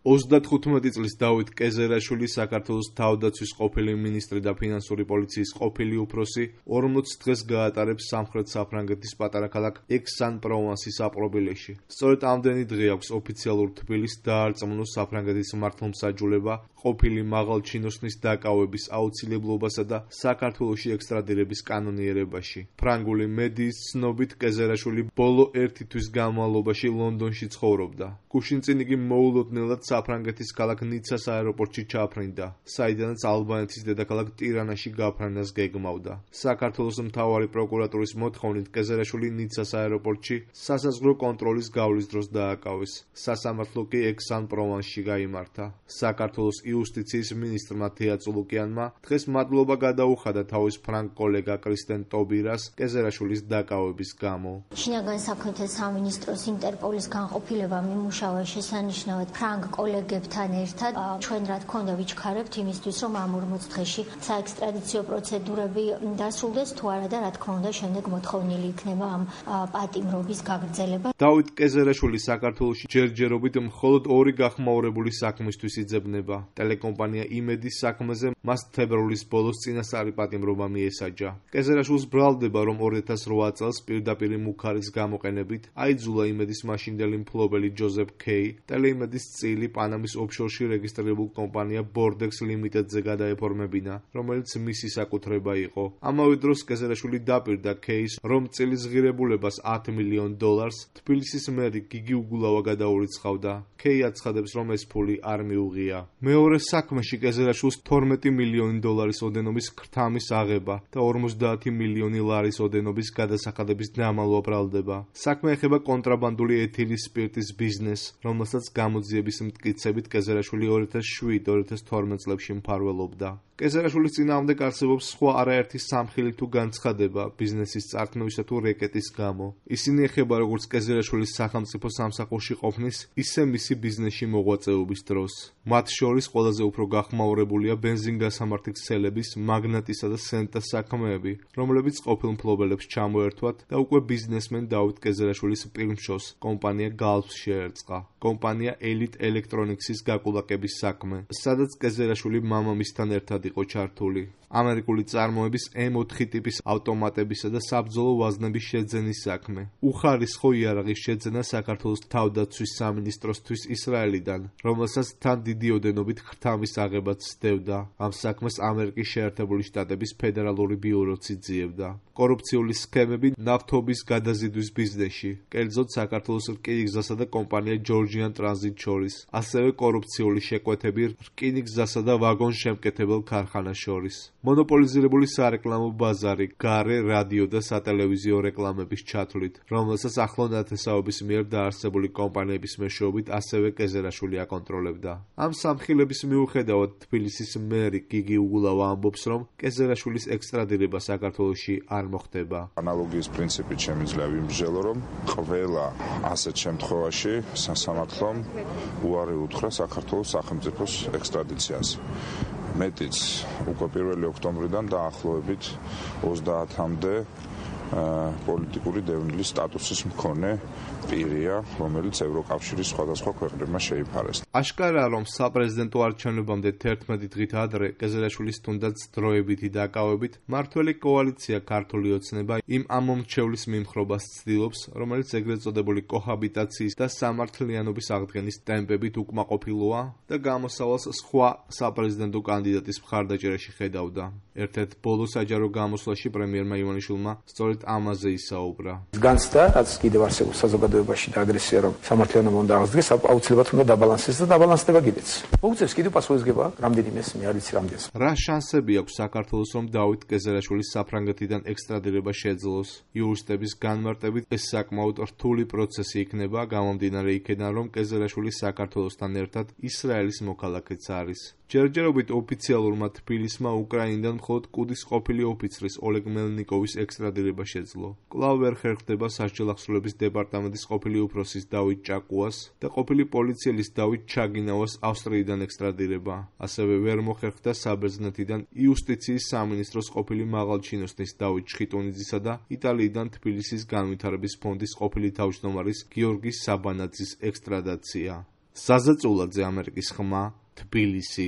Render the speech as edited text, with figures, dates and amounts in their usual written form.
35 წლის დავით კეზერაშვილი საქართველოს თავდაცვის ყოფილი მინისტრი და ფინანსური პოლიციის ყოფილი უფროსი 40 დღეს გაატარებს სამხრეთ საფრანგეთის პატარა ქალაქ ექს-ან-პროვანსის აპრობილეში. სწორედ ამდენი დღე აქვს ოფიციალურ თბილისს დაარწმუნოს საფრანგეთის მართლმსაჯულება ყოფილი მაღალჩინოსნის დაკავების აუცილებლობასა და საქართველოში ექსტრადირების კანონიერებაში. ფრანგული მედიის ცნობით კეზერაშვილი ბოლო 1 თვის განმავლობაში ლონდონში ცხოვრობდა. გუშინ წინ იგი მოულოდნელად საფრანგეთის ქალაქ ნიცას აეროპორტში ჩაფრინდა, საიდანაც ალბანეთის დედაქალაქ ტირანაში გაფრენას გეგმავდა. საქართველოს მთავარი პროკურატურის მოთხოვნით კეზერაშვილი ნიცას აეროპორტში სასაზღვრო კონტროლის გავლის დროს დააკავეს. სასამართლო კი ექს-ან-პროვანსში გაიმართა. საქართველოს იუსტიციის მინისტრმა თეა წულუკიანმა დღეს მადლობა გადაუხადა თავის ფრანგ კოლეგა კრისტენ ტობირას კეზერაშვილის დაკავების გამო. შინაგან საქმეთა სამინისტროს ინტერპოლის განყოფილება მიმუშავა შესანიშნავად ფრანგ კოლეგებთან ერთად. ჩვენ რა თქმა უნდა ვიჩქარებთ იმისთვის, რომ ამ 40 დღეში საექსტრადიციო პროცედურები დასრულდეს, თუ არა და რა თქმა უნდა შემდეგ მოთხოვნილი იქნება ამ პატიმრობის გაგრძელება. დავით კეზერაშვილი საქართველოში ჯერჯერობით მხოლოდ 2 გახმაურებული საქმისთვის იძებნება. ტელეკომპანია იმედის საქმეზე მას თებერვლის ბოლოს წინასწარი პატიმრობა მიესაჯა. კეზერაშვილს ბრალდება, რომ 2008 წელს პირდაპირ მუქარის გამოყენებით აიძულა იმედის მაშინდელი მფლობელი ჯოზეფ კეი ტელეიმედის წილი პანამის ოფშორში რეგისტრირებულ კომპანია ბორდექს ლიმიტედზე გადაეფორმებინა, რომელიც მისი საკუთრება იყო. ამავე დროს კეზერაშვილი დაპირდა კეის, რომ წილის ღირებულებას $10 მილიონ თბილისის მერი გიგი უგულავა გადაურიცხავდა. კეი აცხადებს, რომ ეს ფული არ მიუღია. მეორე საქმეში კეზერაშვილს $12 მილიონი ოდენობის ქრთამის აღება და 50 მილიონი ლარის ოდენობის გადასახადების დამალვა ბრალდება. საქმე ეხება კონტრაბანდული ეთილის სპირტის ბიზნესს, რომელსაც გამოძიების მტკიცებით კეზერაშვილი 2007-2012 წლებში მფარველობდა. კეზერაშვილის წინააღმდეგ არსებობს სხვა არაერთი სამხილი თუ განცხადება ბიზნესის წარქმევისა თუ რეკეტის გამო. ისინი ეხება როგორც კეზერაშვილის სახელმწიფო სამსახურში ყოფნის, ისე მისი ბიზნესში მოღვაწეობის დროს. მათ შორის ყველაზე უფრო გახმაურებულია ბენზინგასამართი ქსელების, მაგნატისა და სენტას საქმეები, რომლებიც ყოფილ მფლობელებს ჩამოერთვათ და უკვე ბიზნესმენ დავით კეზერაშვილის პირმშოს კომპანია გალფს შეერწყა. კომპანია ელიტ ელექტრონიქსის გაკულაკების საქმე, სადაც კეზერაშვილი მამამისთან ერთად იყო ჩართული. ამერიკული წარმოების M4 ტიპის ავტომატებისა და საბრძოლო ვაზნების შეძენის საქმე. უხარისხო იარაღის შეძენა საქართველოს თავდაცვის სამინისტროსთვის ისრაელიდან, რომელსაც თან დიდი ოდენობით ქრთამის აღებაც სდევდა. ამ საქმეს ამერიკის შეერთებული შტატების ფედერალური ბიუროც იძიებდა. კორუფციული სქემები ნავთობის გადაზიდვის ბიზნესში, კერძოდ საქართველოს რკინიგზასა და კომპანია ჯორჯიან ტრანზიტ შორის, ასევე კორუფციული შეკვეთები რკინიგზასა და ვაგონშემკეთებელ ქარხანას შორის. მონოპოლიზირებული სარეკლამო ბაზარი, გარე, რადიო და სატელევიზიო რეკლამების ჩათვლით, რომელსაც ახლო ნათესაობის მიერ დაარსებული კომპანიების მეშვეობით ასევე კეზერაშვილი აკონტროლებდა. ამ სამხილების მიუხედავად თბილისის მერი გიგი უგულავა ამბობს, რომ კეზერაშვილის ექსტრადირება საქართველოში არ მოხდება. ანალოგიის პრინციპით შემიძლია ვიმსჯელო, რომ ყველა ასეთ შემთხვევაში სასამართლომ უარი უთხრა საქართველოს სახელმწიფოს ექსტრადიციას. მეტიც უკვე 1 ოქტომბრიდან დაახლოებით 30-მდე პოლიტიკური დევნილის სტატუსის მქონე პირია, რომელიც ევროკავშირის სხვადასხვა ქვეყნებმა შეიფარეს. აშკარაა, რომ საპრეზიდენტო არჩევნებამდე 11 დღით ადრე კეზერაშვილის თუნდაც დროებითი დაკავებით მმართველი კოალიცია ქართული ოცნება იმ ამომრჩევლის მიმხრობას ცდილობს, რომელიც ეგრეთ წოდებული კოჰაბიტაციის და სამართლიანობის აღდგენის ტემპებით უკმაყოფილოა და გამოსავალს სხვა საპრეზიდენტო კანდიდატის მხარდაჭერაში ხედავდა. ერთ-ერთ ბოლო საჯარო გამოსვლაში პრემიერმა ივანიშვილმა სწორედ ამაზე ისაუბრა. განცდა, რაც კიდევ არსებობს საზოგადოებაში და აგრესია, რომ სამართლიანობა უნდა აღდგეს, აუცილებლად უნდა დაბალანსდეს და დაბალანსდება კიდეც. მოუწევს კიდევ პასუხისგება რამდენიმეს, მე არ ვიცი რამდენს. რა შანსები აქვს საქართველოს, რომ დავით კეზერაშვილის საფრანგეთიდან ექსტრადირება შეძლოს? იურისტების განმარტებით ეს საკმაოდ რთული პროცესი იქნება, გამომდინარე იქედან, რომ კეზერაშვილი საქართველოსთან ერთად ისრაელის მოქალაქეც არის. ჯერჯერობით ოფიციალურმა თბილისმა უკრაინიდან მხოლოდ კუდის ყოფილი ოფიცრის ოლეგ მელნიკოვის ექსტრადირება შეძლო. კვლავ ვერ ხერხდება სასჯელ ახსრულების დეპარტამენტის ყოფილი უფროსის დავით ჭაკუას და ყოფილი პოლიციელის დავით ჩაგინავას ავსტრიიდან ექსტრადირება. ასევე ვერ მოხერხდა საბერძნეთიდან იუსტიციის სამინისტროს ყოფილი მაღალჩინოსნის დავით ჩხიტუნიძისა და იტალიიდან თბილისის განვითარების ფონდის ყოფილი თავმჯდომარის გიორგი საბანაძის ექსტრადაცია. საზა წულაძე, ამერიკის ხმა, თბილისი.